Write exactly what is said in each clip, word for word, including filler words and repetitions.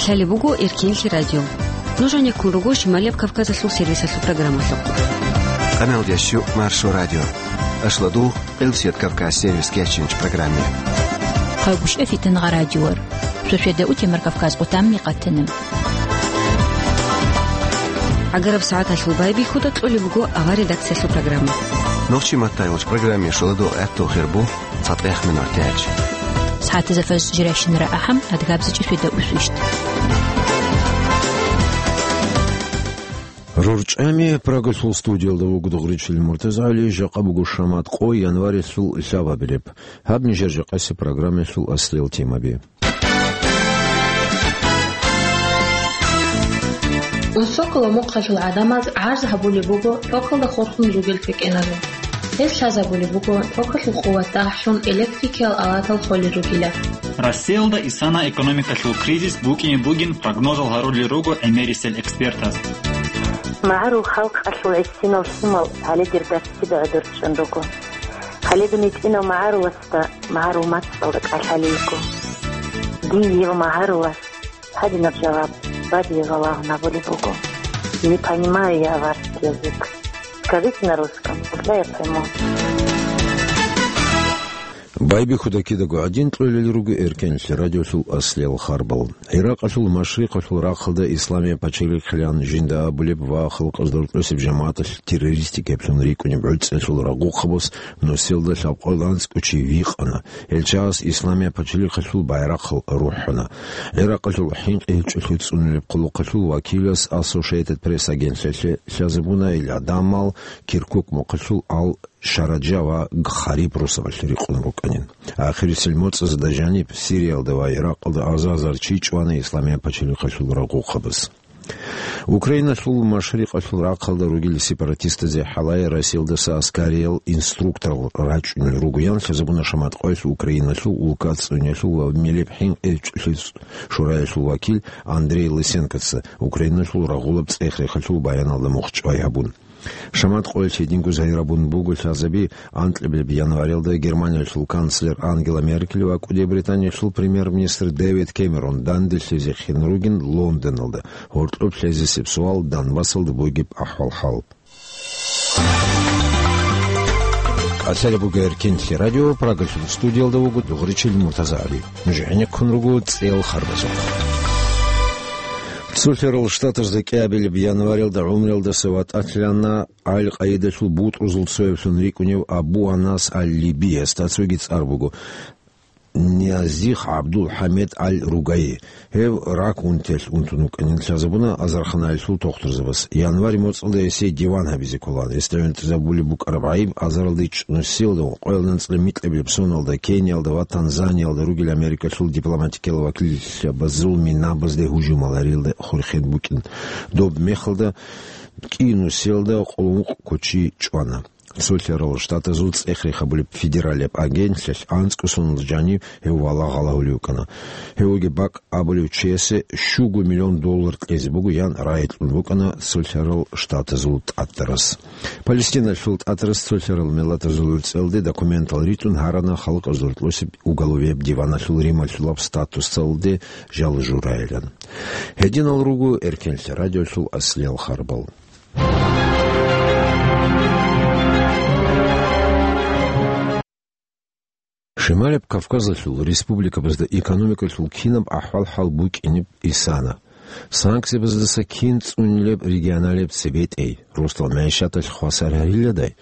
Лъалеб буго Эркенлъи радио. Нуж гьанеккун руго Шималияб Кавказалъул сервисалъул программалъухъ. Къаналдящу Маршо радио. Ашладу Элсет Кавказ сервис кечинч программе. Хъагушев Фитнагъа радиор. Шошеда Утемар Кавказ къутамни къатана. ГӀагараб сагӀаталъул байбихьуда кьолеб буго авар редакциялъул программа. Нохчи маттайолч программе шоладо гӀатту хирбу. Фатех минор тяч. СагӀатазда фаз жиращинара ахӀам, адгабзичӀи фида усвищт. РурчӀами Прагалъул студиялда вуго Дугъричил МуртазагӀали, жакъа буго шамат къо январилъул лъабабилеб. Гьаб нижер жакъаси программалъул аслиял темаби. Унсокъала мухъалъул гӀадамаз гӀарз гьабулеб буго токалда хурхун ругел квекӀеназул. Гьез лъазабулеб буго токалъул къуват дагьлъун электрикиял алатал холел ругила. Россиялда исана экономикалъул кризис букӀине бугин прогнозал гьарулел руго гӀемерисел экспертаз. МагӀарул халкъалъул гӀисинал лъимал гьале дир дарсида гӀодор чӀун руго. Гьале дун гьитӀинав магӀаруласда магӀарул мацӀалда кӀалъалейго. Дие ва магӀарулас гьадинаб жаваб бадизе валагьун абулеб буго: «Не понимаю я ваш язык. Скажите на русском, тогда я пойму». Байбихьуда кидаго гӀадин кьолел руго Эркенлъи радиолъул аслиял харбал. ГӀиракъалъул машрикъалъул рахъалда Исламияб пачалихълъан жинда абулеб ва халкъазда рокьосеб жамагӀаталъ террористикаблъун рикӀкӀунеб гӀуцӀиялъул рагъухъабаз нусиялда лъабкъоялда анцӀго чи вихъана. Гьел чагӀаз Исламияб пачалихъалъул байрахъал рухӀана. ГӀиракъалъул хӀинкъи гьечӀолъи цӀунулеб хъулухъалъул вакилас Associated Press агентлъалъе лъазабуна гьел гӀадамал Киркук мухъалъул ал Шараджа ва Гхариб росабалъ рикъун рукӀанин. Ахирисел моцӀазда жаниб Сириялда ва Иракъалда азар-азар чи чӀвана Исламияб пачалихъалъул рагъухъабаз. Украиналъул машрикъалъул рахъалда ругел сепаратистазе хӀалае Россиялдаса аскариял инструкторал рачӀунел ругоян лъазабуна шамат къоялъ Украиналъул улка цӀунялъул ва милеб хӀинкъи гьечӀолъи шураялъул вакил Андрей Лысенкоца Украиналъул рагъулаб цӀех-рехалъул баяналда мухчӀвай гьабун. Шамат къоялъ гьединго загьирабун буго лъазаби анкьабилеб январилда Германиялъул канцлер Ангела Меркель ва КӀуди Британиялъул премьер-министр Дэвид Кэмерон данделъизе хин ругин Лондоналда. Гьоркьоб лъезесеб суал Донбассалда бугеб ахӀвал-хӀал. Къасалеб буго Эркенлъи радио, Прагалъул студиялда вуго Дугъричил МуртазагӀали. Нуж гӀенеккун руго цӀеял харбазухъ. Цолъарал Штатазда кӀиабилеб январилда гӀумруялдаса ватӀалъана Аль-Къаидалъул бутӀрузул цояблъун рикӀкӀунев Абу Анас Аль-Либияс, цоги цӀар буго Нязих ГӀабдул-ХӀамид Аль-Ругаи. Гьев рак унтиялъ унтун вукӀанин лъазабуна азарханаялъул тухтурзабаз. Январь моцӀалда гьесие диван гьабизе кколаан. Гьесда гӀунтӀизабулеб букӀараб гӀайиб азаралда ичӀнусиялда ва къоялда анцӀила микьабилеб соналда Кениялда ва Танзаниялда ругел Америкалъул дипломатикиял вакиллъабазул минабазде гьужумал гьариялда хурхен букӀин. Доб мехалда кӀинусиялда къулмукъ кочи чӀвана. Цолъарал Штатазул цӀех-рех гьабулеб федералияб агентлъалъ анцӀго соналда жанив гьев валагь гьалагьулев вукӀана. Гьев вугеб бакӀ абулев чиясе щуго миллион доллар кьезе буго ян рагӀи кьун букӀана Цолъарал Штатазул тӀатарас. Палестиналъул тӀатарас цолъарал миллатазул гӀурцӀиялде документал ритӀун гьарана халкъазда рокьосеб уголовияб диваналъул рималъулаб статусалде жал журайилан. Гьединал руго Эркенлъи радиолъул аслиял харбал. Шималаб Кавказалъул республикабазда экономикалъул кинаб ахӀвал-хӀал букӀинеб исана? Санкциябаздаса кин цӀунилеб регионалияб цебетӀей, росдал мягӀишаталъ хвасар гьариладай?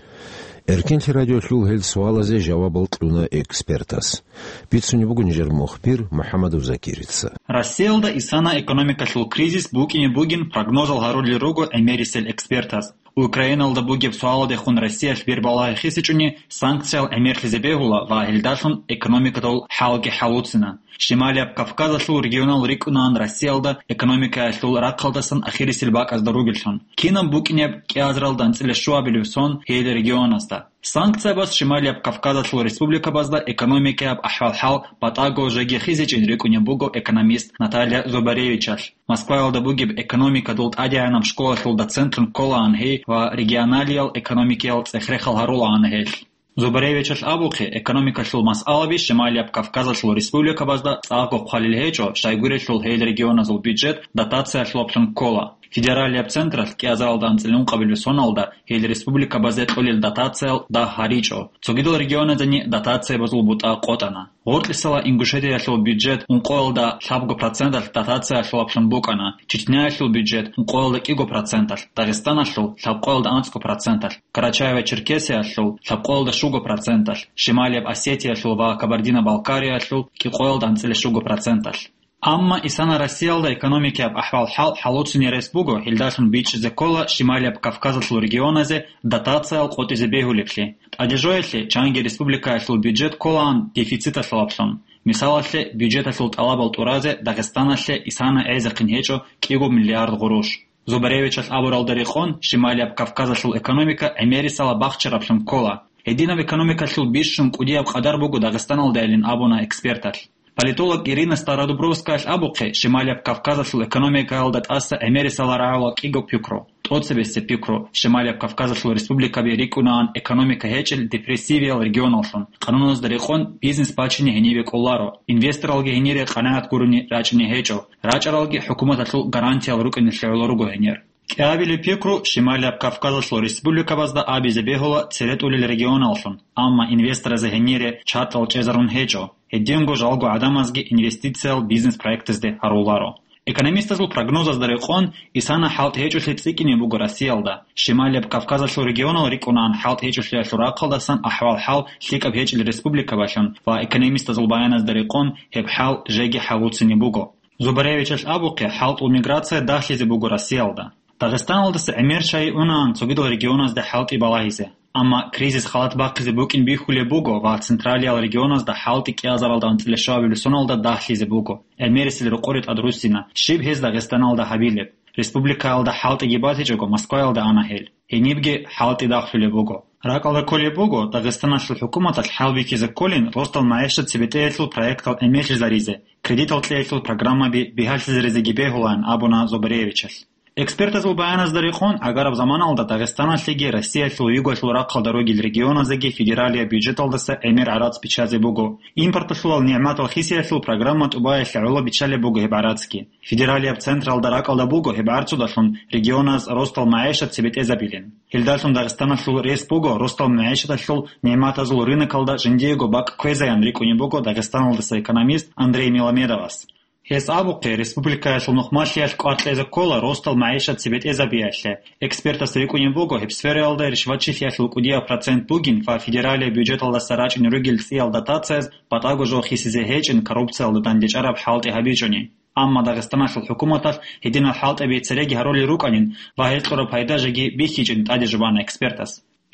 Эркенлъи радиолъул гьел суалазе жавабал кьуна экспертас. Бицунеб буго нижер мухбир МухӀамадов Закирица. Россиялда исана экономикалъул кризис букӀине бугин прогнозал гьарулел руго гӀемерисел экспертаз. Украиналда бугеб суалдехун Россиялъ бер балагьи хисичӀони санкциял гӀемерлъизе бегьула ва гьелдалъун экономикадул хӀалги хӀалуцина. Шималияб Кавказалъул регионал рикӀкӀунаан Россиялда экономикаялъул рахъалдасан ахирисел бакӀазда ругеллъун. Кинаб букӀинеб кӀиазаралда анцӀила щуабилеб сон гьел регионазда? Санкциябаз Шималияб Кавказалъул республикабазда экономикаяб ахӀвал-хӀал батӀаго жеги хизичӀин рикӀкӀунеб буго экономист Наталья Зубаревичалъ. Москваялда бугеб экономикадул тӀадегӀанаб школалъул доцентун кколаан гьей ва регионалиял экономикиял цӀех-рехал гьарулаан гьелъ. Зубаревичалъ абухъе, экономикалъул масъалаби Шималияб Кавказалъул республикабазда цӀакъго хъвалил гьечӀо, щайгурелъул гьел регионазул бюджет дотациялъулаблъун ккола. Федералияб централъ кӀиазаралда анцӀила ункъабилеб соналда гьел республикабазе кьолел дотациял дагь гьаричӀо. Цогидал регионазени дотациябазул бутӀа къотӀана. Гъоркьисала Ингушетиялъул бюджет ункъоялда лъабго проценталъ дотациялъулаблъун букӀана, Чечняялъул бюджет ункъоялда кӀиго проценталъ, Дагъистаналъул лъабкъоялда анцӀго проценталъ, Карачаево-Черкесиялъул лъабкъоялда щуго проценталъ, Шималияб Осетиялъул ва Кабардино-Балкариялъул кӀикъоялда анцӀила щуго проценталъ. Амма исана Россиялда экономикаяб ахӀвал-хӀал хӀалуцин ярес буго, гьелдалъун бичӀчӀизе ккола Шималияб Кавказалъул регионазе дотациял къотӀизе бегьулеблъи. ТӀадежоялъе чанги республикаялъул бюджет кколаан дефициталъулаблъун. Мисалалъе, бюджеталъул тӀалабал тӀуразе Дагъистаналъе исана гӀезехъин гьечӀо кӀиго миллиард гъуруш. Зубаревичалъ абуралда рекъон, Шималияб Кавказалъул экономика гӀемерисала бахчараблъун ккола. Гьединаб экономикалъул бищун кӀудияб къадар буго Дагъистаналдайилин абуна эксперталъ. Политолог Ирина Стародубровскаялъ абухъе, Шималияб Кавказалъул экономикаялда тӀаса гӀемерисала рагӀула кӀиго пикру. ТӀоцебесеб пикру, Шималияб Кавказалъул республикаби рикӀкӀунаан экономика гьечӀел депрессивиял регионаллъун, къануналазда рекъон бизнес бачине гьенибе кӀоларо, инвесторалги гьенире къанагӀат гурони рачӀине гьечӀо, рачӀаралги хӀукуматалъул гарантиял рукӀиналъе гӀоло руго гьенир. КӀиабилеб пикру Шималияб Кавказалъул республикабазда абизе бегьула цере тӀолел регионаллъун, амма инвесторазе гьенире чартӀал чӀезарун гьечӀо, гьединго жалго гӀадамазги инвестициял бизнес-проектазде гьаруларо. Экономистазул прогнозазда рекъон, исана хӀалтӀи гьечӀолъи цӀикӀкӀине буго Россиялда. Шималияб Кавказалъул регионал рикӀкӀунаан хӀалтӀи гьечӀолъиялъул рахъалдасан ахӀвал-хӀал лъикӀаб гьечӀел республикабалъун ва экономистазул баяназда рекъон гьеб хӀал жеги хӀалуцине буго. Зубаревичалъ абухъе, хӀалтӀул миграция дагьлъизе буго Россиялда. Дагъистаналдаса гӀемер чагӀи унаан цогидал регионазде хӀалтӀи балагьизе. Амма кризис халат бахъизе букӀин бихьулеб буго ва централиял регионазда хӀалтӀи кӀиазаралда анцӀила щуабилеб соналда дагьлъизе буго. ГӀемерисел рокъоре тӀадруссина, щиб гьез Дагъистаналда гьабилеб. Республикаялда хӀалтӀиги батичӀого, Москваялда ана гьел. Гьенибги хӀалтӀи дагьлъулеб буго. РакӀалда кколеб буго, Дагъистаналъул хӀукуматалъ хӀалбихьизе кколин ростал магӀишат цебетӀеялъул проектал гӀемерлъизаризе, кредитал кьеялъул программаби бигьалъизаризеги бегьулаан абуна Зубаревичалъ. Экспертазул баяназда рекъон, гӀагараб заманалда Дагъистаналъеги Россиялъул югалъул рахъалда ругел регионазеги федералияб бюджеталдаса гӀемер гӀарац биччазе буго. Импорталъулал нигӀматал хисиялъул программа тӀубаялъе гӀоло биччалеб буго гьеб гӀарацги. Федералияб централда ракӀалда буго гьеб гӀарцудалъун регионаз ростал магӀишат цебетӀезабилин. Гьелдалъун Дагъистаналъул рес буго ростал магӀишаталъул нигӀматазул рынокалда жиндиего бакӀ кквезаян рикӀкӀунеб буго Дагъистаналдаса экономист Андрей Меломедовас. Гьес абухъе, республикаялъул нухмалъиялъ кӀвар кьезе ккола ростал магӀишат цебетӀезабиялъе. Экспертас рикӀкӀунеб буго гьеб сфераялда ришватчилъиялъул кӀудияб процент бугин ва федералияб бюджеталдаса рачӀине ругел цӀиял дотацияз батӀаго жо хисизе гьечӀин коррупциялда дандечӀараб хӀалтӀи гьабичӀони. Амма Дагъистаналъул хӀукуматалъ гьединал хӀалтӀиби цереги гьарулел рукӀанин ва гьел кьураб пайда жеги бихьичӀин тӀаде жубана экспертас.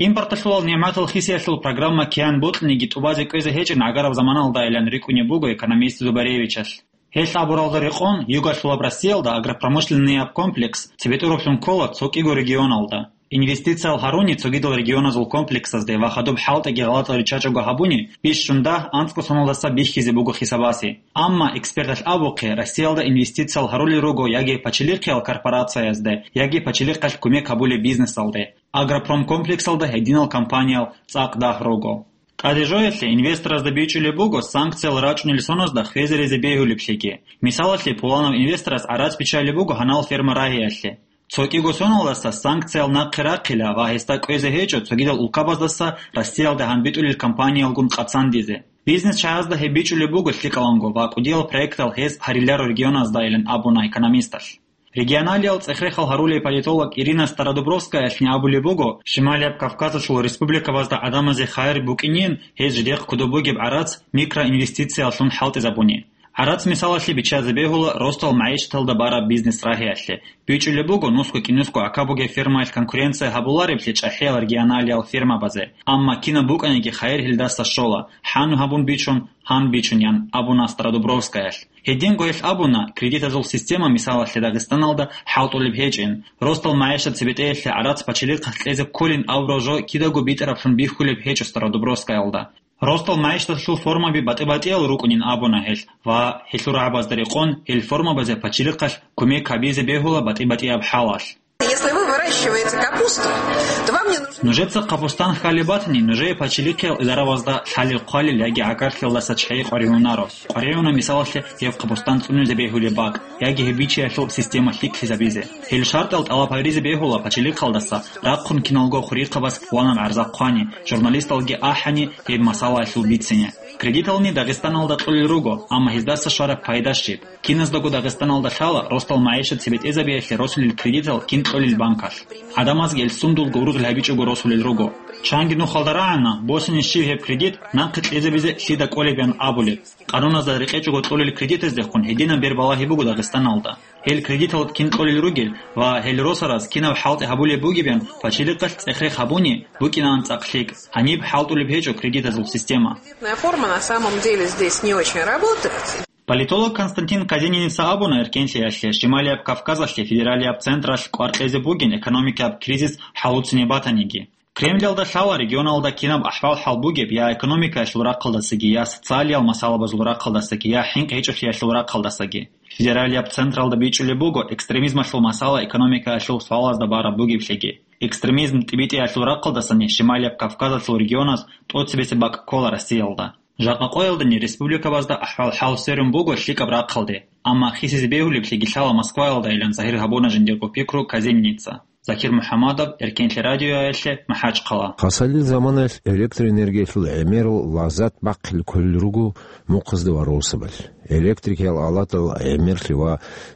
Импорталъулал нигӀматал хисиялъул программа киян бокьаниги тӀубазе кӀвезе гьечӀин гӀагараб заманалдайилан рикӀкӀунеб буго экономист Зубаревичалъ. Гьелъ абуралда рекъон, югалъулаб Россиялда агропромышленнияб комплекс цебетӀураблъун ккола цо кӀиго регионалда. Инвестициял гьаруни цогидал регионазул комплексазде ва хадуб хӀалтӀиги гъалатӀал риччачӀого гьабуни, бищун дагь анцӀго соналдаса бихьизе буго хисабасе. Амма эксперталъ абухъе, Россиялда инвестициял гьарулел руго яги пачалихъиял корпорациязде, яги пачалихъалъ кумек гьабулеб бизнесалде. Агропромкомплексалда гьединал компаниял цӀакъ дагь руго. ТӀадежоялъе инвесторазда бичӀчӀулеб буго санкциял рачӀунел соназда хвезаризе бегьулеблъиги. Мисалалъе, пуланав инвесторас гӀарац биччалеб буго гьанал ферма рагьиялъе. Цо кӀиго соналдаса санкциял нахъе рахъила ва гьесда кӀвезе гьечӀо цогидал улкабаздаса Россиялда гьанбитӀулел компаниялгун къацандизе. Бизнес чагӀазда гьеб бичӀчӀулеб буго лъикӀаланго ва кӀудиял проектал гьез гьариларо регионаздайилан абуна экономисталъ. Регионалиял цӀех-рехал гьарулей политолог Ирина Стародубровскаялъни абулеб буго, Шималияб Кавказалъул республикабазда гӀадамазе хайир букӀинин, гьез жидехъ кодоб бугеб гӀарац микроинвестицияллъун хӀалтӀизабуни. ГӀарац мисалалъе биччазе бегьула ростал магӀишаталда бараб бизнес рагьиялъе. БичӀчӀулеб буго нусго-кӀинусго гӀака бугеб фермаялъ конкуренция гьабулареблъи чӀахӀиял регионалиял фермабазе. Амма кинаб букӀаниги хайир гьелдаса щола, хӀанну гьабун бичун, гьан бичун, ян абуна Стародубровскаялъ. Гьединго гьелъ абуна, кредитазул система мисалалъе Дагъистаналда хӀалтӀулеб гьечӀин. Ростал магӀишат цебетӀеялъе гӀарац пачалихъалъ кьезе кколин абураб жо кидаго битӀараблъун бихьулеб гьечӀо Стародубровскаялда. Ростал магӀишаталъул формаби батӀи-батӀиял рукӀунин абуна гьелъ ва гьелъул рагӀабазда рекъон гьел формабазе пачалихъалъ кумек гьабизе бегьула батӀи-батӀияб хӀалалъ. Если вы выращиваете капусту, то вам не нужно... Нужеца капустан хьалеб батани, нужее пачалихъиял идаравазда лъалел-хъвалел яги гӀагарлъиялдаса чагӀи къваригӀунаро. КъваригӀуна, мисалалъе, гьеб капустан цӀунизе бегьулеб бакӀ яги гьеб бичиялъул система лъикӀлъизабизе. Гьел шартӀал тӀалаб гьаризе бегьула пачалихъалдаса, рахъун киналго хурихъабаз ванаб гӀарза хъвани, журналисталги ахӀани гьеб масалаялъул бицине. Кредитални Дагъистаналда кьолел руго, амма гьездаса щвараб пайда щиб? Киназдаго Дагъистаналда лъала росдал магӀишат цебетӀезабиялъе росулел кредитал кин кьолел банкалъ. ГӀадамазги гьел сундулго ургъел гьабичӀого росулел руго. Чанги нухалда рагӀана, босине щиб гьеб кредит нахъе кьезабизе лъида кӀолеб ян абулеб. Къануназда рекъечӀого кьолел кредитаздехун гьединаб бер балагьи буго Дагъистаналда. Гьел кредитал кин кьолел ругел ва гьел росараз кинаб хӀалтӀи гьабулеб бугеб ян пачалихъалъ цӀех-рех гьабуни букӀинаан цӀакъ лъикӀ. Гьаниб хӀалтӀулеб гьечӀо кредитазул система. Форма на самом деле здесь не очень работает. Политолог Константин Казениница абуна, эркенлъиялъе, Шималияб Кавказалъе федералияб централъ кӀвар кьезе бугин экономикаяб кризис хӀалуцине батаниги. Кремлялда лъала регионалда кинаб ахӀвал-хӀал бугеб я экономикаялъул рахъалдасаги, я социалиял масалабазул рахъалдасаги, я хӀинкъи гьечӀолъиялъул рахъалдасаги. Федералияб централда бичӀчӀулеб буго экстремизмалъул масала экономикаялъул суалазда бараб бугеблъиги. Экстремизм тӀибитӀиялъул рахъалдасани Шималияб Кавказалъул регионаз тӀоцебесеб бакӀ ккола Россиялда. Жакъа къоялдани республикабазда ахӀвал-хӀал сверун буго лъикӀаб рахъалде, амма хисизе бегьулеблъиги лъала Москваялдайилан загьир гьабуна жиндирго пикру Казениница. Закир МухӀаммадов, Эркенлъи радиоялъе, МахӀачхъала. Хасалил заманаялъ электроэнергиялъул гӀемерал лаззат бахъизе кколел руго мухъазда ва росабалъ. Электрикиял алатал гӀемерлъи ва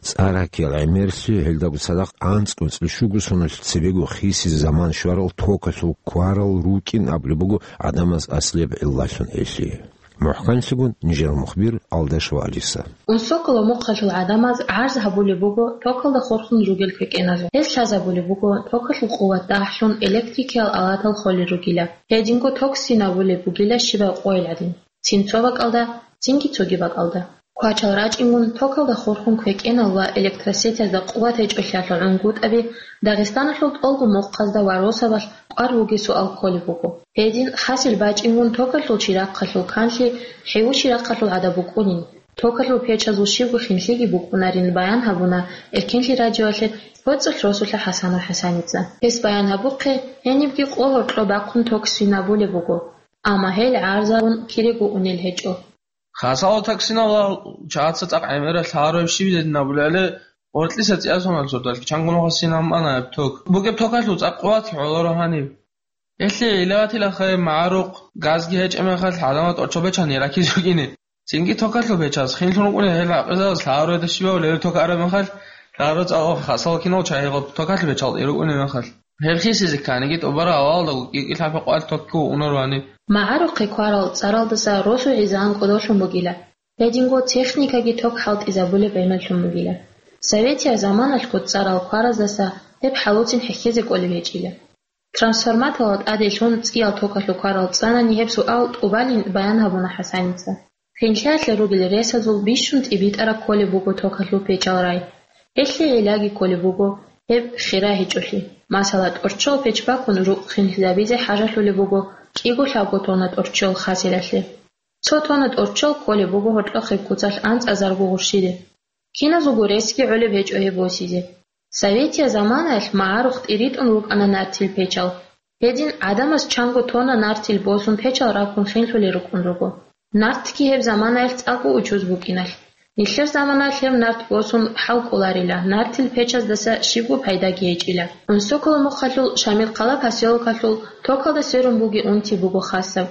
цӀар гьакиял гӀемерлъи гьелдаго цадахъ анцӀго-анцӀила щуго соналъ цебего хисизе заман щварал токалъул кварал рукӀин абулеб буго гӀадамаз аслияб гӀиллалъун гьелъие. МухӀканлъигун нижер мухбир Алдашева Алиса. Унсоколо мухъалъул гӀадамаз гӀарз гьабулеб буго токалда хурхун ругел квекӀеназул. Гьез лъазабулеб буго токалъул къуват дагьлъун электрикиял алатал холел ругила. Гьединго ток сцинабулеб бугила щибаб къойил гӀадин. Цинцо бакӀалда, цинги цоги бакӀалда. Квачал рачӀингун, токалда хурхун квекӀенал ва электросетязда къуват гьечӀолъиялъул гӀунгутӀаби Дагъистаналъул тӀолго мухъазда ва росабалъ кӀвар бугесуал кколеб буго. Гьедин хасил бачӀингун токалъул чирахъалъул канлъи хӀеву чирахъалъул гӀадаб букӀунин. Токалъул печазул щибго хинлъиги букӀунарин баян гьабуна Эркенлъи радиоялъе ГьоцӀулъ росулъа ХӀасанов ХӀасаница. Гьес баян гьабухъе, гьенибги къо гьоркьо бахъун ток сцинабулеб буго, амма гьел гӀарзабун кирего унел гьечӀо. Хасал ток сцинабулеб чагӀаца цӀакъ гӀемерал лъаларо щиб дединабулебали, гъоркьиса цӀиясуналъ сордалъ чангун вахъа сцинабун ана гьеб ток. Бугеб токалъул цӀакъ къуват гӀоларо гьаниб. Гьелъие илаватила хай магӀарухъ, газги гьечӀеб мехалъ гӀадамал тӀорчо бечани ракизе рукӀине. Цинги токалъул печаз хинлъун рукӀуна гьел гӀакъизабаз лъагӀаруреда щибав левел ток араб мехалъ, лъагӀару цӀакъ хасал кинал чагьи гъоб токалъул печал тӀе рукӀунеб мехалъ. Гьеб хисизе кканиги тӀубараб авалалда кӀикӀи лъабкъоялъ токги унарвани. МагӀарухъе ккварал цӀаралдаса росу гӀизан кӀодолъун бугила. Гьединго техникаги ток хӀалтӀизабулеб гӀемерлъун бугила. Советиял заманалъго цӀарал квараздаса гьеб хӀалуцин хӀехьезе кӀолеб гьечӀила. Трансформаторал тӀаделъун цӀиял токалъул кварал цӀанани гьеб суал тӀубалин баян гьабуна ХӀасаница. Хинлъиялъе ругел ресазул бищун тӀибитӀараб кколеб буго токалъул печал рай. Гьелъие гӀиллаги кколеб буго гьеб хира гьечӀолъи. Масала, тӀорччол печ бакун рукъ хинлъизабизе хӀажалъулеб буго кӀиго-лъабго тонна тӀорччол хасилалъе. Цо тонна тӀорччол кколеб буго гьоркьохъеб куцалъ анцӀазарго гъурщиде. Киназулго ресги гӀолеб гьечӀо гьеб босизе. Советиял заманаялъ магӀарухъ тӀиритӀун рукӀана нартил печал. Гьедин гӀадамаз чанго тонна нартил босун печал раккун хинлъулел рукӀун руго. Нартги гьеб заманаялъ цӀакъго учуз букӀиналъ. Нилъер заманаялъ гьеб нарт босун хӀал кӀоларила, нартил печаздаса щибго пайдаги гьечӀила. Унсоколо мухъалъул Шамилхъала поселокалъул токалда сверун бугеб унти буго хасаб.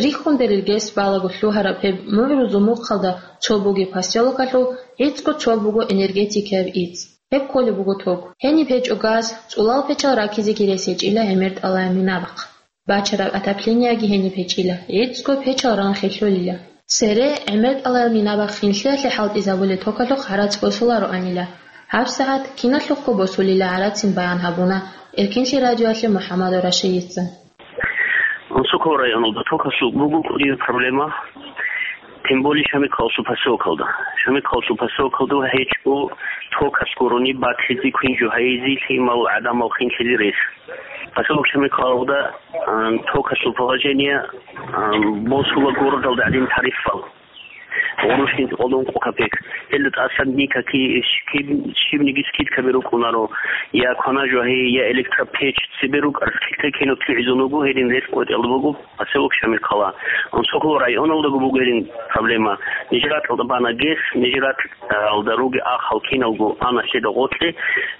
Рихьундарел гес балаго лъугьараб гьеб мугӀрузул мухъалда цо бугеб поселокалъул гӀицӀго цо буго энергетикаяб ицӀ. Гьеб кколеб буго ток. Гьениб гьечӀо газ, цӀулал печал ракизеги рес гьечӀила гӀемер тӀалаяб минабахъ. Бачараб отоплениеги гьениб гьечӀила, гӀицӀго печал ранхи лъолила. Цере гӀемер тӀалаяб минабахъ хинлъиялъе хӀалтӀизабулеб токалъухъ гӀарац босулароанила. ГьабсагӀат киналъухъго босулила гӀарацин баян гьабуна Эркенлъи радиоялъе МухӀаммадов Рашидица. Унсокол районалда токалъул буго кӀудияб проблема, тем более Шамилхъаласул поселокалда. Шамилхъаласул поселокалда гьечӀо токалъ гурони батлъизе, квин жо гьайизе, лъимал гӀадамал хинлъизе рес. Поселок Шамилхъалалда, а, токалъул положение, а, босула городалда гӀадин тарифал. гъурущин кӀолдон къо капек. Гьелда тӀасан никаки, щиб-, щибниги скидкаби рукӀунаро, я кванажу гьей, я электропеч, цебе рукӀар скидка кинаб лъугӀизун вуго, гьедин рес къотӀиялда буго поселок Шамилкала. Онсокол районалдаго буго гьедин проблема. Нижер ракьалда бана гес, нижер ракьалда руги ахал киналго ана лъеда гъоркье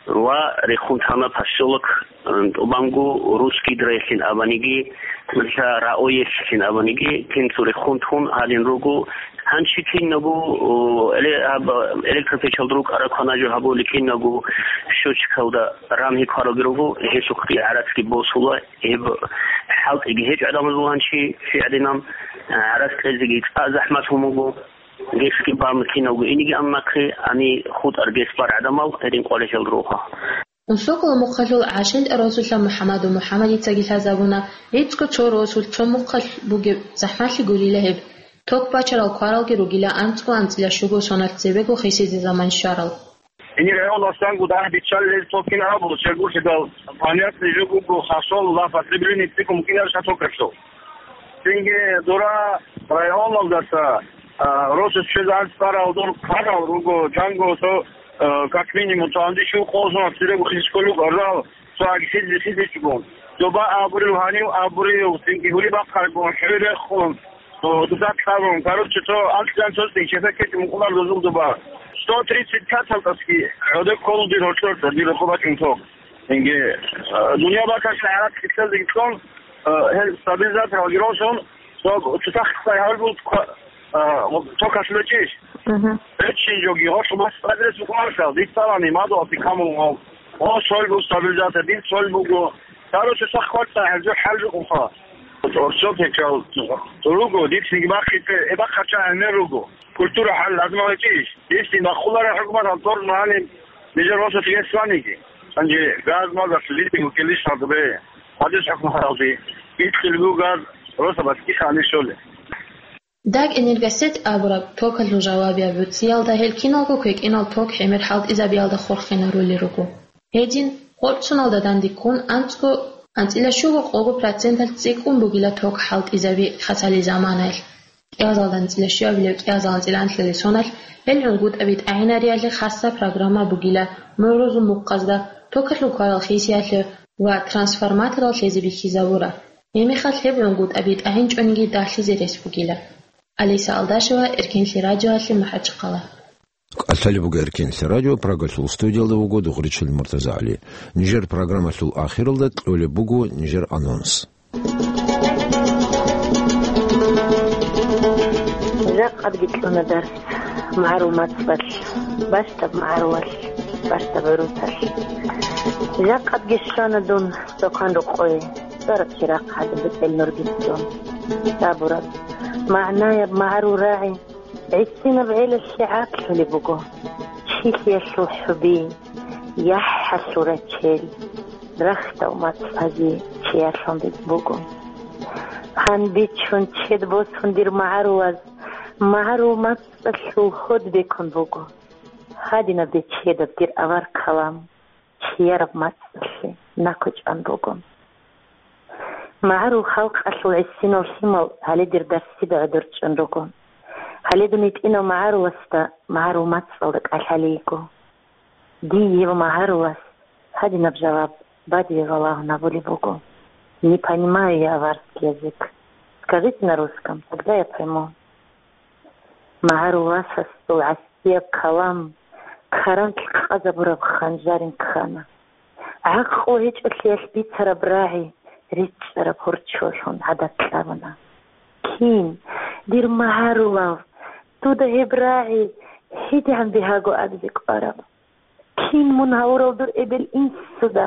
ва рехун тана поселок. ТӀубанго Русский Гидроялъин абаниги, нуша РАО-ялъин абаниги, кинцо рехун тун гьалин руго. Гьанчи кинабго, о, эле-, гьаб-, электропечалда рукӀараб кванажу гьабули кинабго счётчикалда рамги квараги руго, гьелъухъги гӀарацги босула. Гьеб хӀалтӀиги гьечӀо гӀадамазул гьанчи, щигӀадинаб, гӀарац кьезеги цӀа захӀмат гьумуго, гесги бан кинабго иниги амнахъе, ани хутӀар гес бар гӀадамал гьедин къварилъел руго. Унсокола мухъалъул ГӀашентӀа росулъа МухӀаммаду МухӀаммадицаги лъазабуна, гӀицӀго цо росулъ цо мухъалъ бугеб захӀмалъи гурила гьеб. Ток бачарал кваралги ругила анцӀго анцӀила щуго соналъ цебего хисизе заман щварал. Гьенир гӀоласан гуда гьабиччалел ток кин абу, чергулъидал, понятный жо буго, хасол ва потребление цӀикӀкӀун кӀинарищ токалъул. Цинги дора районалдаса, а, росас чвезан цӀарал дор кварал руго, жанго со, а, как минимум, цо анди щуго къоло соналъ цебего хисизе кколел руго, арал, цо аги хизе хисичӀого. Доба абурил гьанив абурил, цинги гьури бахъаргун, хӀури рехун, о, дуда ккарун. Короче, цо анцӀила анцӀила чепекечӀ мукъулар дозул доба. Сто тридцать пятал тӀасги гӀодек кколу дир гьоркьор, дир рохо бачӀун ток. Инги, а, дуниял бакалъ гӀараб китлъазеги цӀун, а, гьел стабилизатор гьалги росун, цо цутахъ цай гьавил бул ква-, а, токалъ бечӀищ? Мгм. БечӀин жоги, гъорлъ мас адрес букӀунарсал, дицалани, мадугьалти камун гъов. О, соль бу стабилизатор, дин соль буго. Саро цутахъ кварцай гьалжу хӀалжу къуха. Орсо пекал руго, дицлиги бахъите, э, бахъача гӀемер руго. Культура хӀал лазимал гьечӀищ? Гьесин бахъулареб хӀукумат гьалдор мугӀалим нижер росулъ гьес ваниги. Гьанже газ мазалъ литиго килищ гьадубе. Гьадис хӀукму гьаралди. Итхъилгу газ роса баткиха гьанир щоле. Даг Энергосеть абураб токалъул жавабияб гӀуцӀиялда гьел киналго квекӀинал ток гӀемер хӀалтӀизабиялда хурхинарулел руго. Гьедин, гъорцуналда дандеккун анцӀго, анцӀила щуго къого проценталъ цӀикӀкӀун бугила ток хӀалтӀизаби хасали заманаялъ. КӀиазалда анцӀила щуабилеб, кӀиазал анцӀила анлъабилеб соналъ гьел гӀунгутӀаби тӀагӀинариялъе хасса программа бугила, мугӀрузул мухъазда токалъул кварал хисиялъе ва трансформаторал лъезе бихьизабура. Гьебмехалъ гьеб гӀунгутӀаби тӀагӀинчӀониги дагьлъизе рес бугила. Алиса Алдашева, Эркенлъи радиоялъе, МахӀачхъала. КӀалъалеб буго Эркенлъи радио, Прагалъул студиялда вуго Дугъричил МуртазагӀали. Нижер программалъул ахиралда кьолеб буго нижер анонс. Жакъадги кьуна дарс магӀарул мацӀалъ, бащдаб магӀарулалъ, бащдаб гӀурусалъ. Жакъадги щвана дун Стокан рокъое, цӀараб чирахъ гьадин бетӀел нурги цӀун. Сабураб, магӀнаяб магӀарул рагӀи гӀисинаб гӀелалъе гӀаклъулеб буго. Чилъиялъул хӀуби, яхӀалъул рачел, рахьдал мацӀазе чиярлъун буго. Гьанбичун чед босун дир магӀарулаз, магӀарул мацӀалъул гьод бекун буго. Гьадинаб бечедаб дир авар калам чияраб мацӀалъе накӀкӀан буго. МагӀарул халкъалъул гӀисинал лъимал гьале дир дарсида гӀодор чӀун руго. Гьале дун гьитӀинав магӀаруласда магӀарул мацӀалда кӀалъалей йиго. Дие ва магӀарулас гьадинаб жаваб бадибе балагьун гьабулеб буго: «Не понимаю я аварский язык. Скажите на русском, тогда я пойму». МагӀарул васасул гӀасияб калам каранлъ къазабураб ханжарин ккана. ГӀакълу гьечӀолъиялъ бицараб рагӀи ричӀчӀараб гьорчолъун гӀадат кьабуна. Кин, дир магӀарулав, дуда гьеб рагӀи гьедигӀан бигьаго абизе кӀвараб? Кин мун гьавурав дур эбел-инсуда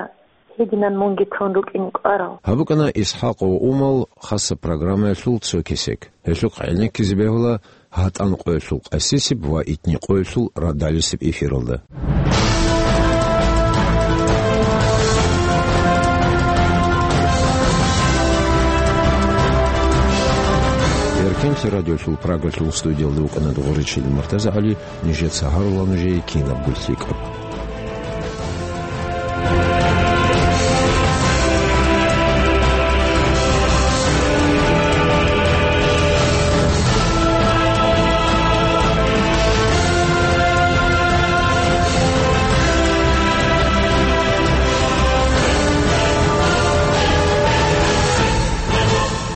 гьединан мунги тун рукӀине кӀварав? Гьаб букӀана ИсхӀакъ ва Умал хасаб программаялъул цо кесек. Гьелъухъ гӀенеккизе бегьула гьатӀан къоялъул къасисеб ва итни къоялъул радалисеб эфиралда. Эркенлъи радиолъул Прагалъул студиялда вукӀана Дугъричил МуртазагӀали, нижеца гьарула нужее кинабго лъикӀаб.